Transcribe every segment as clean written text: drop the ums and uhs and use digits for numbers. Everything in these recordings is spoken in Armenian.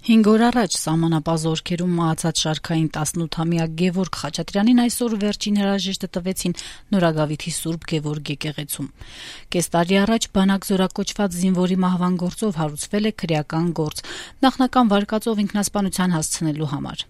5 օր առաջ սահմանապահ զորքերում մահացած շարքային 18-ամյա Գևորգ Խաչատրյանին այսօր վերջին հրաժեշտը տվեցին Նորագավիթի Սուրբ Գևորգ եկեղեցում։ Կես տարի առաջ բանակ զորակոչված զինվորի մահվան գործով հարուցվել է քրեական գործ, նախնական վարկածով ինքնասպանության հասցնելու համար։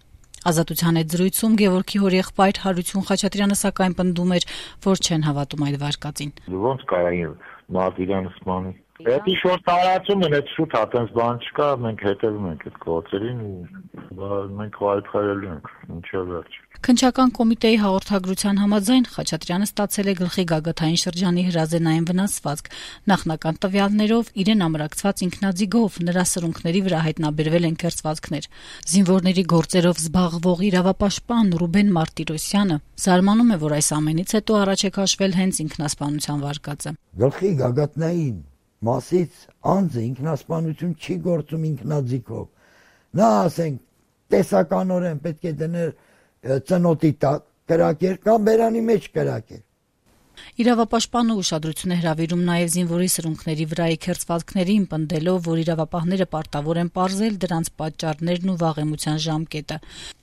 Ազատության հետ զրույցում Գևորգի հորեղբայր Հարություն Խաչատրյանը սակայն պնդում էր, որ չեն հավատում այդ վարկածին։ Ոնց կարային Մարտիրյանը սպանի։ Էդի շորտ տարածում են, այդ շուտ հատենց բան չկա, մենք հետևում ենք այդ գործերին ու մենք այդքայելու ենք, ինչա վերջ։ Քննչական կոմիտեի հաղորդագրության համաձայն Խաչատրյանը ստացել է գլխի գագաթային շրջանի հրազենային վնասվածք, նախնական տվյալներով իրեն ամրակցված ինքնաձիգով նրա սրունքների վրա հայտնաբերվել են կերծվածքներ։ Զինվորների գործերով զբաղվող իրավապաշտպան Ռուբեն Մարտիրոսյանը զարմանում է, որ այս ամենից հետո առաջ է քաշվել հենց ինքնասպանության վարկածը։ Գլխի գագաթնային մասից անձը ինքնասպանություն չի գործում ինքնաձիգով։ Նա ասենք տեսականորեն պետք է դներ ծնոտի տակ կրակեր կամ բերանի մեջ կրակեր։ Իրավապաշտպանը ուշադրություն է հրավիրում նաև զինվորի սրունքների վրայի քերծվածքներին, պնդելով, որ իրավապահները պարտավոր են պարզել դրանց պատճառներն ու վաղեմության ժամկետը։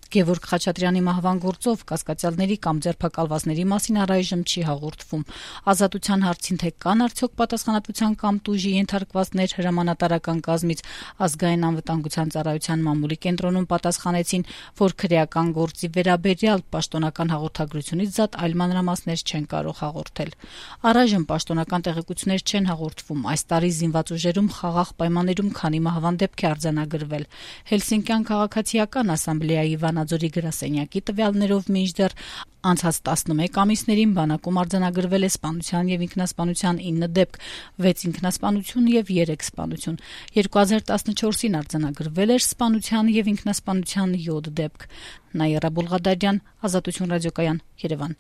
Գևորգ Խաչատրյանի մահվան գործով կասկածյալների կամ ձերբակալվածների մասին առայժմ չի հաղորդվում։ Ազատության հարցին թե կան արդյոք պատասխանատվության կամ տուժի ենթարկվածներ հրամանատարական կազմից, ազգային անվտանգության ծառայության մամուլի կենտրոնում պատասխանեցին, որ քրեական գործի վերաբերյալ պաշտոնական հաղորդագրությունից զատ այլ մանրամասներ չեն կարող հաղորդել։ Առայժմ պաշտոնական տեղեկություններ չեն հաղորդվում։ Այս տարի զինված ուժերում խաղաղ պայմաններում քանի մահվան դեպք է արձանագրվել։ Հելսինկյան քաղաքացիական ասամբլեայի Վանաձորի գրասենյակի տվյալներով մինչդեռ անցած 11 ամիսներին բանակում արձանագրվել է սպանության եւ ինքնասպանության 9 դեպք, 6 ինքնասպանություն եւ 3 սպանություն։ 2014-ին արձանագրվել էր սպանության եւ ինքնասպանության 7 դեպք։ Նաիրա Բուլղադարյան, Ազատություն ռադիոկայան, Երևան։